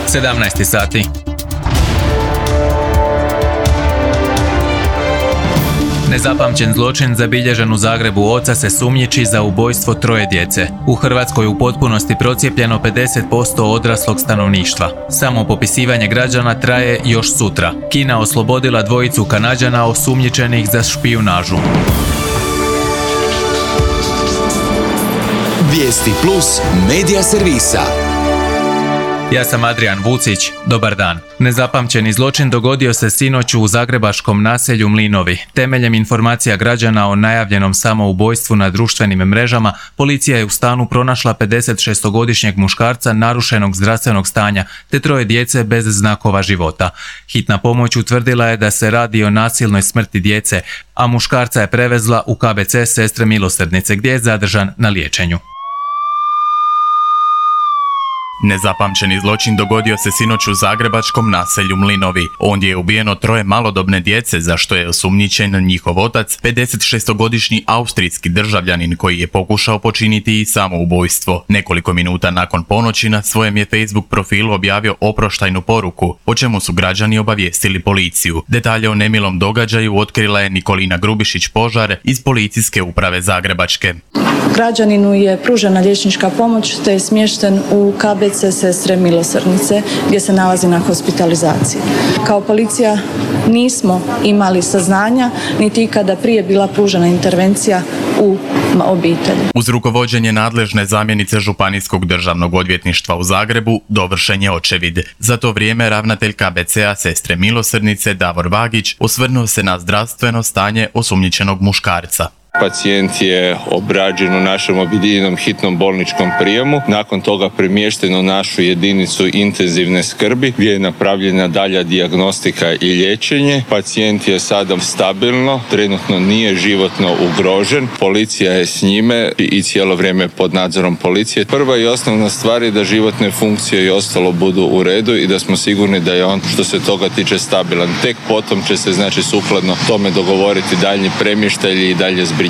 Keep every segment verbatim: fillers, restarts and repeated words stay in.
sedamnaest sati. Nezapamćen zločin zabilježen u Zagrebu. Oca se sumnjiči za ubojstvo troje djece. U Hrvatskoj u potpunosti procijepljeno pedeset posto odraslog stanovništva. Samo popisivanje građana traje još sutra. Kina oslobodila dvojicu Kanađana osumnjičenih za špijunažu. Vijesti plus medija servisa. Ja sam Adrian Vucić, dobar dan. Nezapamćeni zločin dogodio se sinoć u zagrebačkom naselju Mlinovi. Temeljem informacija građana o najavljenom samoubojstvu na društvenim mrežama, policija je u stanu pronašla pedesetšestogodišnjeg muškarca narušenog zdravstvenog stanja te troje djece bez znakova života. Hitna pomoć utvrdila je da se radi o nasilnoj smrti djece, a muškarca je prevezla u K B C Sestre milosrdnice gdje je zadržan na liječenju. Nezapamćeni zločin dogodio se sinoć u zagrebačkom naselju Mlinovi. Ondje je ubijeno troje malodobne djece, za što je osumnjičen njihov otac, pedesetšestogodišnji austrijski državljanin koji je pokušao počiniti i samoubojstvo. Nekoliko minuta nakon ponoći na svojem je Facebook profilu objavio oproštajnu poruku, o čemu su građani obavijestili policiju. Detalje o nemilom događaju otkrila je Nikolina Grubišić-Požar iz Policijske uprave Zagrebačke. Građaninu je pružena liječnička pomoć te je smješten u K B C Sestre milosrdnice gdje se nalazi na hospitalizaciji. Kao policija nismo imali saznanja niti ikada prije bila pružena intervencija u obitelji. Uz rukovođenje nadležne zamjenice Županijskog državnog odvjetništva u Zagrebu dovršen je očevid. Za to vrijeme ravnatelj K B C-a Sestre milosrdnice Davor Vagić osvrnuo se na zdravstveno stanje osumnjičenog muškarca. Pacijent je obrađen u našem objedinjenom hitnom bolničkom prijemu, nakon toga premješten u našu jedinicu intenzivne skrbi gdje je napravljena dalja dijagnostika i liječenje. Pacijent je sada stabilno, trenutno nije životno ugrožen, policija je s njime i cijelo vrijeme pod nadzorom policije. Prva i osnovna stvar je da životne funkcije i ostalo budu u redu i da smo sigurni da je on što se toga tiče stabilan. Tek potom će se znači sukladno tome dogovoriti daljnji premještaj i dalje zbrinjavanje.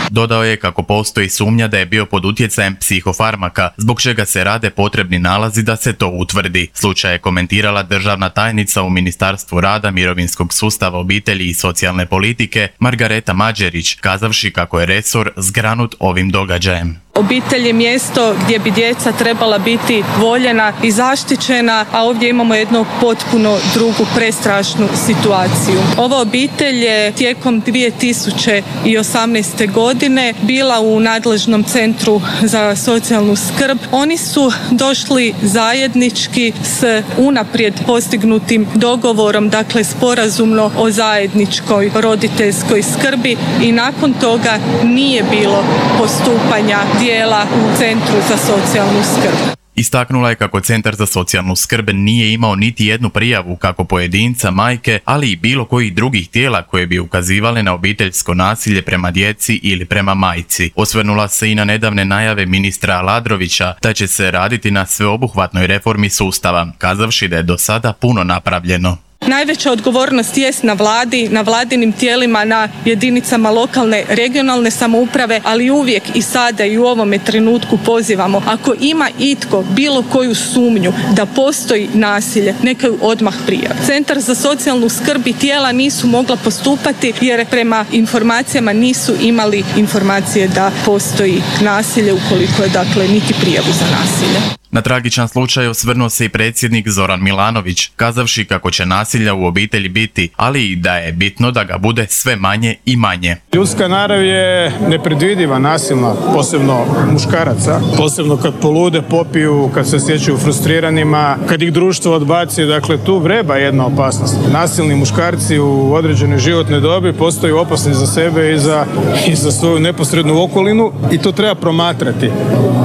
Dodao je kako postoji sumnja da je bio pod utjecajem psihofarmaka, zbog čega se rade potrebni nalazi da se to utvrdi. Slučaj je komentirala državna tajnica u Ministarstvu rada, mirovinskog sustava, obitelji i socijalne politike Margareta Mađerić, kazavši kako je resor zgranut ovim događajem. Obitelj je mjesto gdje bi djeca trebala biti voljena i zaštićena, a ovdje imamo jednu potpuno drugu prestrašnu situaciju. Ova obitelj je tijekom dvije tisuće osamnaeste. godine bila u nadležnom centru za socijalnu skrb. Oni su došli zajednički s unaprijed postignutim dogovorom, dakle sporazumno o zajedničkoj roditeljskoj skrbi i nakon toga nije bilo postupanja dijela u Centru za socijalnu skrb. Istaknula je kako Centar za socijalnu skrb nije imao niti jednu prijavu kako pojedinca, majke, ali i bilo kojih drugih tijela koje bi ukazivale na obiteljsko nasilje prema djeci ili prema majci. Osvrnula se i na nedavne najave ministra Aladrovića da će se raditi na sveobuhvatnoj reformi sustava, kazavši da je do sada puno napravljeno. Najveća odgovornost jest na vladi, na vladinim tijelima, na jedinicama lokalne, regionalne samouprave, ali uvijek i sada i u ovome trenutku pozivamo, ako ima itko bilo koju sumnju da postoji nasilje, neka ju odmah prijavi. Centar za socijalnu skrb i tijela nisu mogla postupati jer prema informacijama nisu imali informacije da postoji nasilje ukoliko je dakle niti prijavu za nasilje. Na tragičan slučaj osvrnuo se i predsjednik Zoran Milanović, kazavši kako će nasilja u obitelji biti, ali i da je bitno da ga bude sve manje i manje. Ljudska narav je nepredvidiva, nasilna, posebno muškaraca, posebno kad polude, popiju, kad se osjećaju frustriranima, kad ih društvo odbaci, dakle tu vreba jedna opasnost. Nasilni muškarci u određenoj životnoj dobi postaju opasni za sebe i za, i za svoju neposrednu okolinu i to treba promatrati.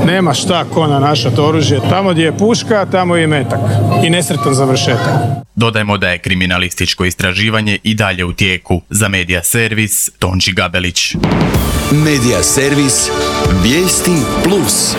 Nema šta ko na naša oružje. Tamo gdje je puška, tamo je metak i nesretan završetak. Dodajmo da je kriminalističko istraživanje i dalje u tijeku. Za Medija servis, Tonči Gabelić. Medija servis, Vijesti plus.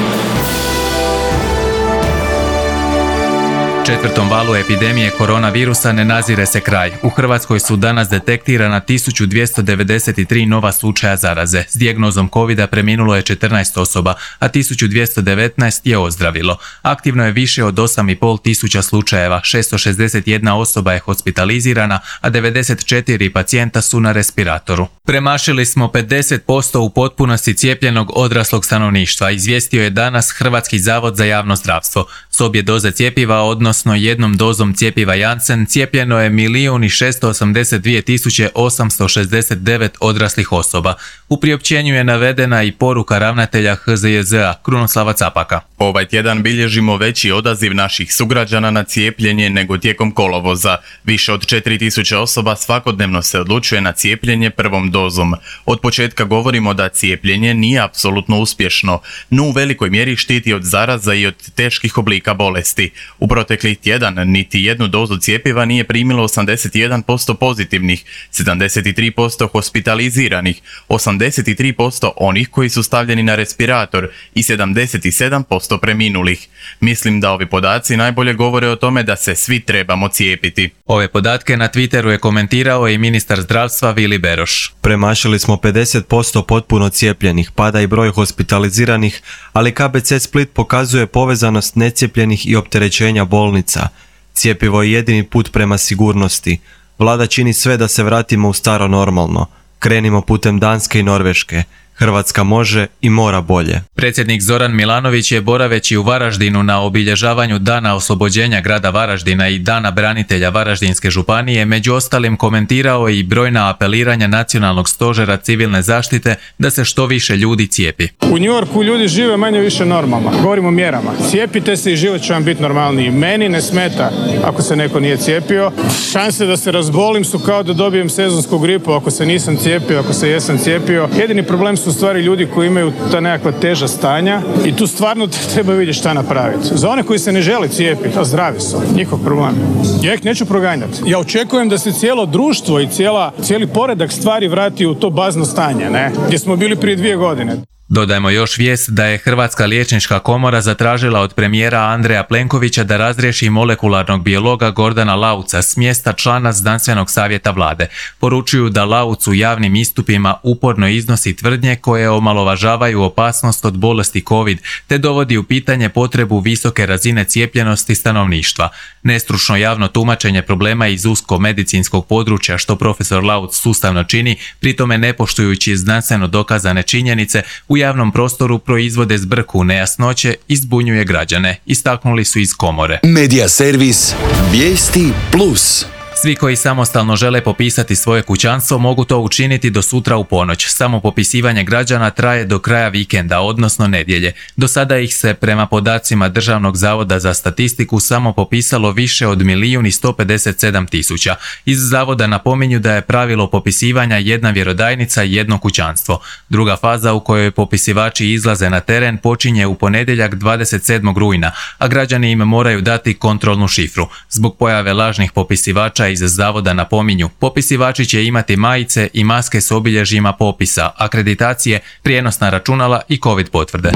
Četvrtom valu epidemije koronavirusa ne nazire se kraj. U Hrvatskoj su danas detektirana tisuću dvjesto devedeset tri nova slučaja zaraze. S dijagnozom kovida preminulo je četrnaest osoba, a tisuću dvjesto devetnaest je ozdravilo. Aktivno je više od osam i pol tisuća slučajeva, šesto šezdeset jedna osoba je hospitalizirana, a devedeset četiri pacijenta su na respiratoru. Premašili smo pedeset posto u potpunosti cijepljenog odraslog stanovništva, izvijestio je danas Hrvatski zavod za javno zdravstvo. S obje doze cjepiva, odnosno jednom dozom cjepiva Janssen, cijepljeno je milijun i šesto osamdeset dvije tisuće osamsto šezdeset devet odraslih osoba. U priopćenju je navedena i poruka ravnatelja H Z J Z-a Krunoslava Capaka. Ovaj tjedan bilježimo veći odaziv naših sugrađana na cijepljenje nego tijekom kolovoza. Više od četiri tisuće osoba svakodnevno se odlučuje na cijepljenje prvom dozom. Od početka govorimo da cijepljenje nije apsolutno uspješno, no u velikoj mjeri štiti od zaraza i od teških oblika bolesti. U proteklih tjedan niti jednu dozu cjepiva nije primilo osamdeset jedan posto pozitivnih, sedamdeset tri posto hospitaliziranih, osamdeset tri posto onih koji su stavljeni na respirator i sedamdeset sedam posto preminulih. Mislim da ovi podaci najbolje govore o tome da se svi trebamo cijepiti. Ove podatke na Twitteru je komentirao i ministar zdravstva Vili Beroš. Premašili smo pedeset posto potpuno cijepljenih, pada i broj hospitaliziranih, ali K B C Split pokazuje povezanost necijepljenih i opterećenja bolnica. Cjepivo je jedini put prema sigurnosti. Vlada čini sve da se vratimo u staro normalno. Krenimo putem Danske i Norveške. Hrvatska može i mora bolje. Predsjednik Zoran Milanović je boraveći u Varaždinu na obilježavanju Dana oslobođenja grada Varaždina i Dana branitelja Varaždinske županije među ostalim komentirao i brojna apeliranja Nacionalnog stožera civilne zaštite da se što više ljudi cijepi. U New Yorku ljudi žive manje više normalno. Govorimo o mjerama. Cijepite se i život će vam biti normalniji. Meni ne smeta ako se neko nije cijepio. Šanse da se razbolim su kao da dobijem sezonsku gripu ako se nisam cijepio, ako se jesam cijepio. Jedini problem su stvari ljudi koji imaju ta nekakva teža stanja i tu stvarno treba vidjeti šta napraviti. Za one koji se ne žele cijepiti, a zdravi su, njihov problem. Ja ih neću proganjati. Ja očekujem da se cijelo društvo i cijela, cijeli poredak stvari vrati u to bazno stanje, ne? Gdje smo bili prije dvije godine. Dodajmo još vijest da je Hrvatska liječnička komora zatražila od premijera Andreja Plenkovića da razriješi molekularnog biologa Gordana Lauca s mjesta člana znanstvenog savjeta vlade. Poručuju da Lauc u javnim istupima uporno iznosi tvrdnje koje omalovažavaju opasnost od bolesti COVID te dovodi u pitanje potrebu visoke razine cijepljenosti stanovništva. Nestručno javno tumačenje problema iz usko medicinskog područja što profesor Lauc sustavno čini, pritome ne poštujući znanstveno dokazane činjenice, u javnom prostoru proizvode zbrku, nejasnoće i zbunjuje građane, istaknuli su iz komore. Medija servis Vijesti plus. Svi koji samostalno žele popisati svoje kućanstvo mogu to učiniti do sutra u ponoć. Samo popisivanje građana traje do kraja vikenda, odnosno nedjelje. Do sada ih se prema podacima Državnog zavoda za statistiku samo popisalo više od milijun i sto pedeset sedam tisuća. Iz zavoda napominju da je pravilo popisivanja jedna vjerodajnica i jedno kućanstvo. Druga faza u kojoj popisivači izlaze na teren počinje u ponedjeljak dvadeset sedmog rujna, a građani im moraju dati kontrolnu šifru. Zbog pojave lažnih popisivača iz zavoda napominju, popisivači će imati majice i maske s obilježjima popisa, akreditacije, prijenosna računala i COVID potvrde.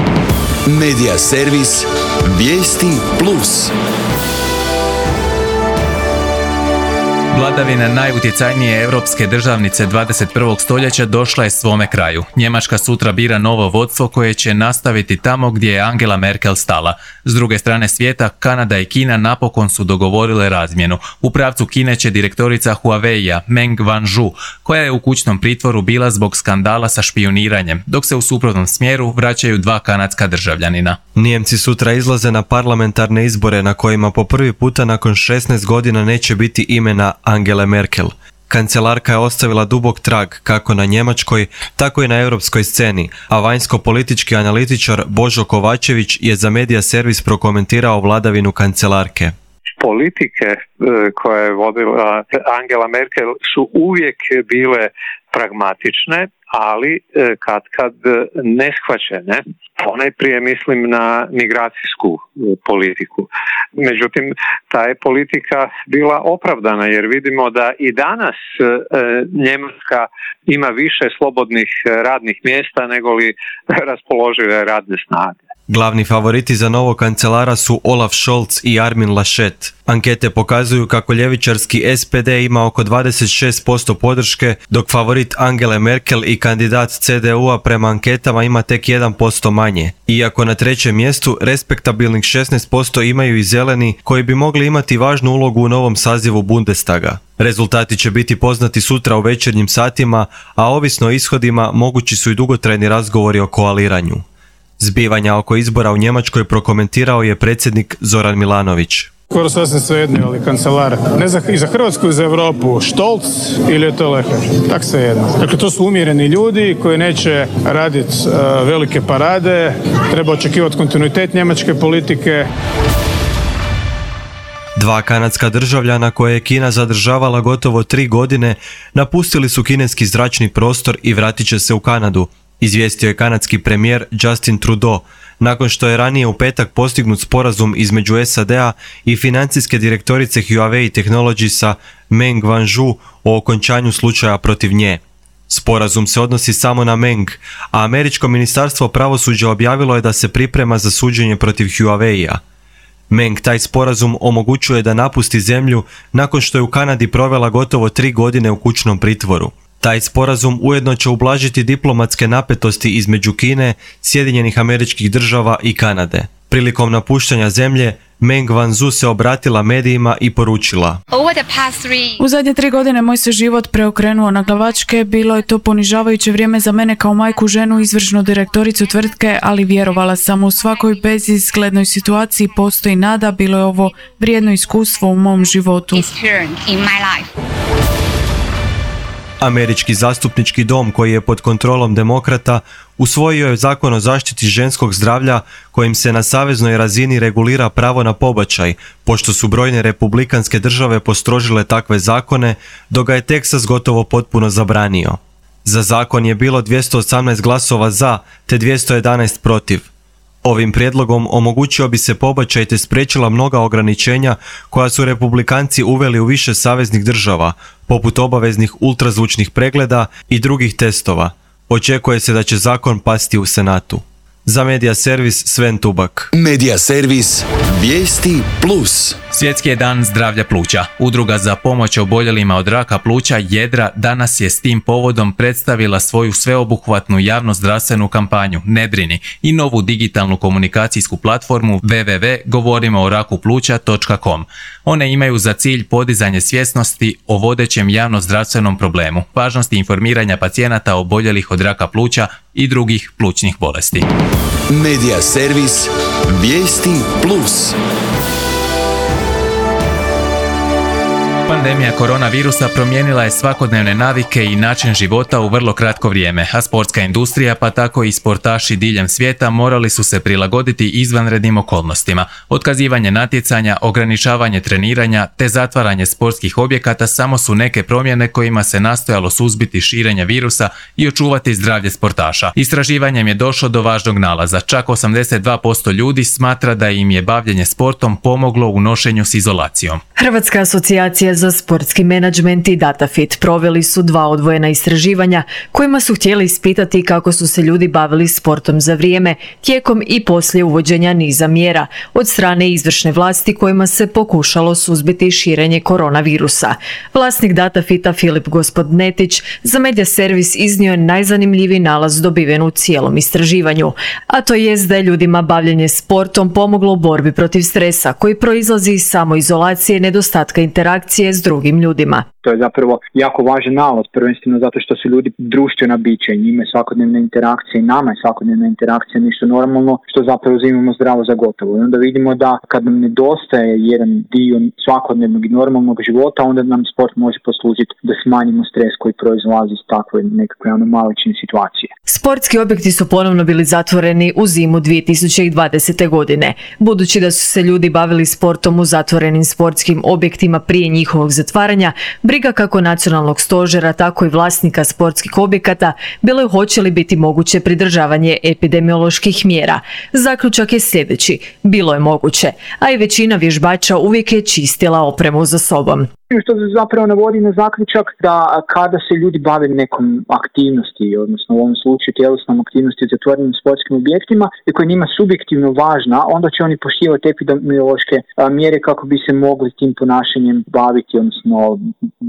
Medija servis Vijesti plus. Vladavina najutjecajnije europske državnice dvadeset prvog stoljeća došla je svome kraju. Njemačka sutra bira novo vodstvo koje će nastaviti tamo gdje je Angela Merkel stala. S druge strane svijeta, Kanada i Kina napokon su dogovorile razmjenu. U pravcu Kine će direktorica Huawei-a Meng Wanzhou, koja je u kućnom pritvoru bila zbog skandala sa špijuniranjem, dok se u suprotnom smjeru vraćaju dva kanadska državljanina. Nijemci sutra izlaze na parlamentarne izbore na kojima po prvi puta nakon šesnaest godina neće biti imena Angele Merkel. Kancelarka je ostavila dubok trag kako na njemačkoj, tako i na europskoj sceni, a vanjsko-politički analitičar Božo Kovačević je za Medija servis prokomentirao vladavinu kancelarke. Politike koje je vodila Angela Merkel su uvijek bile pragmatične, ali kad kad neshvaćene. Ponajprije mislim na migracijsku politiku. Međutim, ta je politika bila opravdana jer vidimo da i danas e, Njemačka ima više slobodnih radnih mjesta nego li raspoložive radne snage. Glavni favoriti za novog kancelara su Olaf Scholz i Armin Laschet. Ankete pokazuju kako ljevičarski S P D ima oko dvadeset šest posto podrške, dok favorit Angele Merkel i kandidat C D U-a prema anketama ima tek jedan posto manje. Iako na trećem mjestu respektabilnih šesnaest posto imaju i zeleni, koji bi mogli imati važnu ulogu u novom sazivu Bundestaga. Rezultati će biti poznati sutra u večernjim satima, a ovisno o ishodima mogući su i dugotrajni razgovori o koaliranju. Zbivanja oko izbora u Njemačkoj prokomentirao je predsjednik Zoran Milanović. Skoro sasvim svejedno, ali kancelar. Ne za, i za Hrvatsku i za Europu, Stolz ili je to Leher. Tak svejedno. Dakle, to su umjereni ljudi koji neće raditi uh, velike parade, treba očekivati kontinuitet njemačke politike. Dva kanadska državljana koje je Kina zadržavala gotovo tri godine napustili su kineski zračni prostor i vratit će se u Kanadu, izvijestio je kanadski premijer Justin Trudeau, nakon što je ranije u petak postignut sporazum između S A D-a i financijske direktorice Huawei Technologiesa Meng Wanzhou o okončanju slučaja protiv nje. Sporazum se odnosi samo na Meng, a američko ministarstvo pravosuđa objavilo je da se priprema za suđenje protiv Huawei-a. Meng taj sporazum omogućuje da napusti zemlju nakon što je u Kanadi provela gotovo tri godine u kućnom pritvoru. Taj sporazum ujedno će ublažiti diplomatske napetosti između Kine, Sjedinjenih Američkih Država i Kanade. Prilikom napuštanja zemlje, Meng Wanzhou se obratila medijima i poručila: U zadnje tri godine moj se život preokrenuo na glavačke, bilo je to ponižavajuće vrijeme za mene kao majku, ženu, izvršnu direktoricu tvrtke, ali vjerovala sam u svakoj bezizglednoj situaciji postoji nada, bilo je ovo vrijedno iskustvo u mom životu. Američki zastupnički dom, koji je pod kontrolom demokrata, usvojio je zakon o zaštiti ženskog zdravlja kojim se na saveznoj razini regulira pravo na pobačaj, pošto su brojne republikanske države postrožile takve zakone, dok ga je Teksas gotovo potpuno zabranio. Za zakon je bilo dvjesto osamnaest glasova za, te dvjesto jedanaest protiv. Ovim prijedlogom omogućio bi se pobačaj te spriječila mnoga ograničenja koja su republikanci uveli u više saveznih država, poput obaveznih ultrazvučnih pregleda i drugih testova. Očekuje se da će zakon pasti u Senatu. Za Medija Servis Sven Tubak. Medija Servis Vijesti Plus. Svjetski je dan zdravlja pluća. Udruga za pomoć oboljelima od raka pluća Jedra danas je s tim povodom predstavila svoju sveobuhvatnu javnozdravstvenu kampanju Ne brini i novu digitalnu komunikacijsku platformu w w w točka govorimo o raku pluća točka com. One imaju za cilj podizanje svjesnosti o vodećem javnozdravstvenom problemu, važnosti informiranja pacijenata oboljelih od raka pluća i drugih plućnih bolesti. Medija Servis Vijesti Plus. Pandemija koronavirusa promijenila je svakodnevne navike i način života u vrlo kratko vrijeme, a sportska industrija, pa tako i sportaši diljem svijeta, morali su se prilagoditi izvanrednim okolnostima. Otkazivanje natjecanja, ograničavanje treniranja te zatvaranje sportskih objekata samo su neke promjene kojima se nastojalo suzbiti širenje virusa i očuvati zdravlje sportaša. Istraživanjem je došlo do važnog nalaza. Čak osamdeset dva posto ljudi smatra da im je bavljenje sportom pomoglo u nošenju s izolacijom. Hrvatska asocijacija za sportski menadžment i DataFit proveli su dva odvojena istraživanja kojima su htjeli ispitati kako su se ljudi bavili sportom za vrijeme, tijekom i poslije uvođenja niza mjera od strane izvršne vlasti kojima se pokušalo suzbiti širenje koronavirusa. Vlasnik DataFita Filip Gospodnetić za Medija Servis iznio je najzanimljiviji nalaz dobiven u cijelom istraživanju, a to jest da je ljudima bavljenje sportom pomoglo u borbi protiv stresa koji proizlazi iz samoizolacije i nedostatka interakcije s drugim ljudima. To je zapravo jako važan nalaz, prvenstveno zato što su ljudi društvena bića i njima je svakodnevna interakcija i nama je svakodnevna interakcija nešto normalno što zapravo uzimamo zdravo za gotovo. I onda vidimo da kad nam nedostaje jedan dio svakodnevnog i normalnog života, onda nam sport može poslužiti da smanjimo stres koji proizlazi iz takve nekakve anomalične situacije. Sportski objekti su ponovno bili zatvoreni u zimu dvije tisuće dvadesete godine. Budući da su se ljudi bavili sportom u zatvorenim sportskim objektima prije njihovog zatvaranja, briga kako nacionalnog stožera, tako i vlasnika sportskih objekata bilo je hoće li biti moguće pridržavanje epidemioloških mjera. Zaključak je sljedeći: bilo je moguće, a i većina vježbača uvijek je čistila opremu za sobom. Što zapravo navodi na zaključak da kada se ljudi bave nekom aktivnosti, odnosno u ovom slučaju tjelesnom aktivnosti u zatvorenim sportskim objektima i koja je njima subjektivno važna, onda će oni poštivati epidemiološke mjere kako bi se mogli tim ponašanjem baviti, odnosno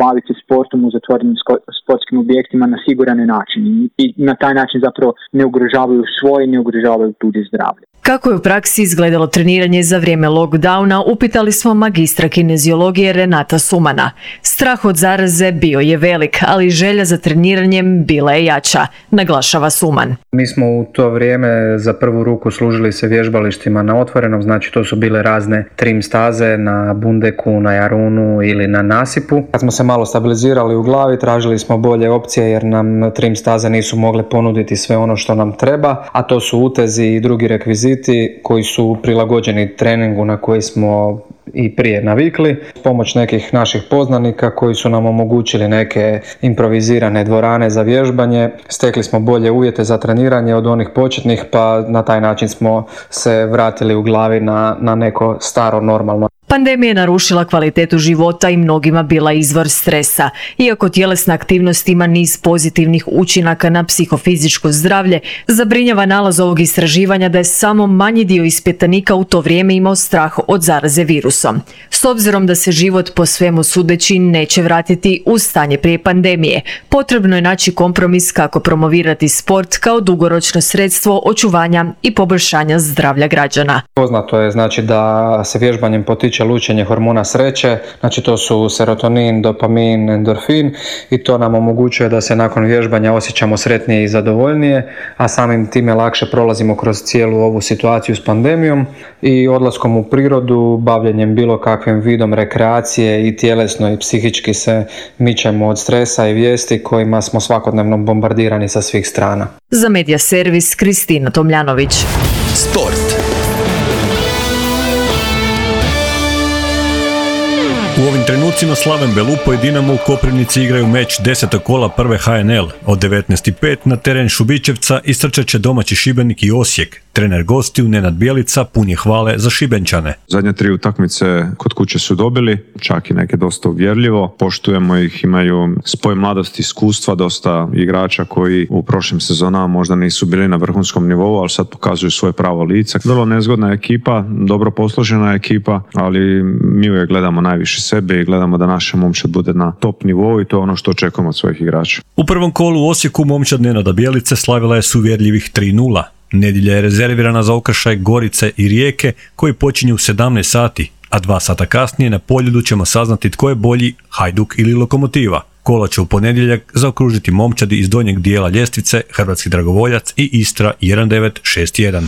baviti sportom u zatvorenim sportskim objektima na siguran način i na taj način zapravo ne ugrožavaju svoje, ne ugrožavaju tuđe zdravlje. Kako je u praksi izgledalo treniranje za vrijeme lockdowna, upitali smo magistra kineziologije Renata Sumana. Strah od zaraze bio je velik, ali želja za treniranjem bila je jača, naglašava Suman. Mi smo u to vrijeme za prvu ruku služili se vježbalištima na otvorenom, znači to su bile razne trim staze na Bundeku, na Jarunu ili na nasipu. Kad smo se malo stabilizirali u glavi, tražili smo bolje opcije jer nam trim staze nisu mogle ponuditi sve ono što nam treba, a to su utezi i drugi rekviziti koji su prilagođeni treningu na koji smo i prije navikli. Pomoć nekih naših poznanika koji su nam omogućili neke improvizirane dvorane za vježbanje. Stekli smo bolje uvjete za treniranje od onih početnih, pa na taj način smo se vratili u glavi na, na neko staro normalno. Pandemija je narušila kvalitetu života i mnogima bila izvor stresa. Iako tjelesna aktivnost ima niz pozitivnih učinaka na psihofizičko zdravlje, zabrinjava nalaz ovog istraživanja da je samo manji dio ispitanika u to vrijeme imao strah od zaraze virusom. S obzirom da se život po svemu sudeći neće vratiti u stanje prije pandemije, potrebno je naći kompromis kako promovirati sport kao dugoročno sredstvo očuvanja i poboljšanja zdravlja građana. Poznato je znači da se vježbanjem potiče lučenje hormona sreće, znači to su serotonin, dopamin, endorfin i to nam omogućuje da se nakon vježbanja osjećamo sretnije i zadovoljnije, a samim time lakše prolazimo kroz cijelu ovu situaciju s pandemijom i odlaskom u prirodu, bavljenjem bilo kakvim vidom rekreacije i tjelesno i psihički se mičemo od stresa i vijesti kojima smo svakodnevno bombardirani sa svih strana. Za Medija servis Kristina Tomljanović. Sport. U ovim trenucima Slaven Belupo i Dinamo u Koprivnici igraju meč desetog kola prve H N L. Od devetnaest i pet na teren Šubićevca istrčat će domaći Šibenik i Osijek. Trener gostiju Nenad Bjelica pun je hvale za Šibenčane. Zadnje tri utakmice kod kuće su dobili, čak i neke dosta uvjerljivo. Poštujemo ih, imaju spoj mladosti, iskustva, dosta igrača koji u prošlim sezonama možda nisu bili na vrhunskom nivou, ali sad pokazuju svoje pravo lice. Vrlo nezgodna ekipa, dobro posložena ekipa, ali mi uvijek gledamo najviše sebe i gledamo da naša momčad bude na top nivou i to je ono što očekujemo od svojih igrača. U prvom kolu u Osijeku momčad Nenada Bjelice slavila je s uvjerljivih tri nula. Nedjelja je rezervirana za okršaj Gorice i Rijeke koji počinju u sedamnaest sati, a dva sata kasnije na Poljudu ćemo saznati tko je bolji, Hajduk ili Lokomotiva. Kola će u ponedjeljak zaokružiti momčadi iz donjeg dijela ljestvice Hrvatski Dragovoljac i Istra jedan devet šest jedan.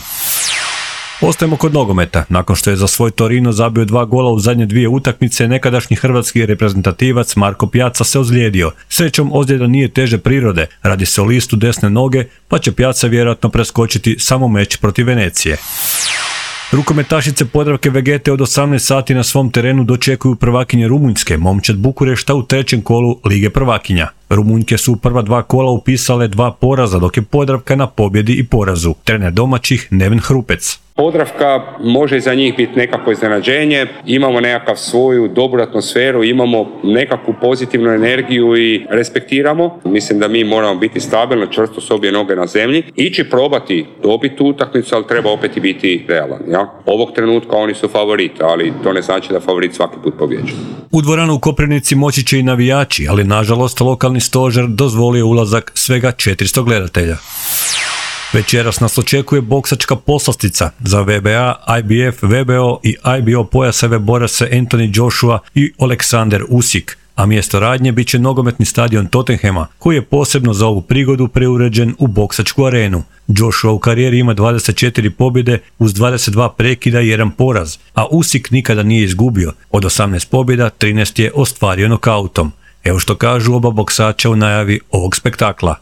Ostajemo kod nogometa. Nakon što je za svoj Torino zabio dva gola u zadnje dvije utakmice, nekadašnji hrvatski reprezentativac Marko Pjaca se ozlijedio. Srećom, ozljeda nije teže prirode, radi se o listu desne noge, pa će Pjaca vjerojatno preskočiti samo meč protiv Venecije. Rukometašice Podravke Vegete od osamnaest sati na svom terenu dočekuju prvakinje Rumunjske, momčad Bukurešta u trećem kolu Lige prvakinja. Rumunjke su u prva dva kola upisale dva poraza, dok je Podravka na pobjedi i porazu. Trener domaćih Neven Hrupec. Podravka može za njih biti nekako iznenađenje, imamo nekakav svoju dobru atmosferu, imamo nekakvu pozitivnu energiju i respektiramo. Mislim da mi moramo biti stabilno, čvrsto s obje noge na zemlji, ići probati dobiti tu utakmicu, ali treba opet i biti realan. Ja? Ovog trenutka oni su favoriti, ali to ne znači da favorit svaki put pobjeđuje. U dvoranu u Koprivnici moći će i navijači, ali nažalost lokalni stožer dozvolio ulazak svega četiristo gledatelja. Večeras nas očekuje boksačka poslastica. Za V B A, I B F, V B O i I B O pojaseve bore se Anthony Joshua i Aleksander Usyk, a mjesto radnje bit će nogometni stadion Tottenhama, koji je posebno za ovu prigodu preuređen u boksačku arenu. Joshua u karijeri ima dvadeset četiri pobjede uz dvadeset dva prekida i jedan poraz, a Usyk nikada nije izgubio. Od osamnaest pobjeda, trinaest je ostvario nokautom. Evo što kažu oba boksača u najavi ovog spektakla.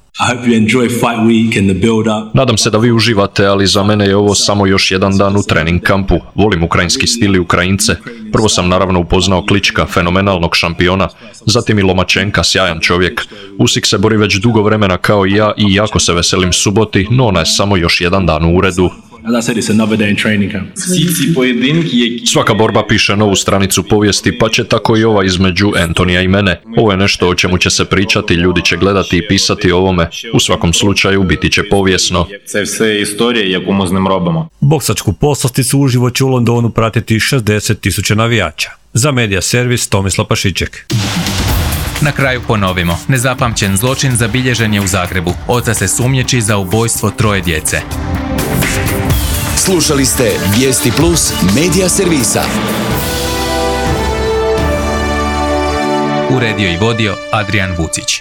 Nadam se da vi uživate, ali za mene je ovo samo još jedan dan u trening kampu. Volim ukrajinski stil i Ukrajince. Prvo sam naravno upoznao Klička, fenomenalnog šampiona, zatim i Lomačenka, sjajan čovjek. Usyk se bori već dugo vremena kao i ja i jako se veselim suboti, no ona je samo još jedan dan u uredu. Svaka borba piše novu stranicu povijesti, pa će tako i ova između Antonija i mene. Ovo je nešto o čemu će se pričati, ljudi će gledati i pisati o ovome. U svakom slučaju biti će povijesno. Boksačku poslasticu uživo će u Londonu pratiti šezdeset tisuća navijača. Za Medija servis Tomislav Pašiček. Na kraju ponovimo. Nezapamćen zločin zabilježen je u Zagrebu. Oca se sumnjiči za ubojstvo troje djece. Slušali ste Vijesti Plus Medija servisa. Uredio i vodio Adrian Vucić.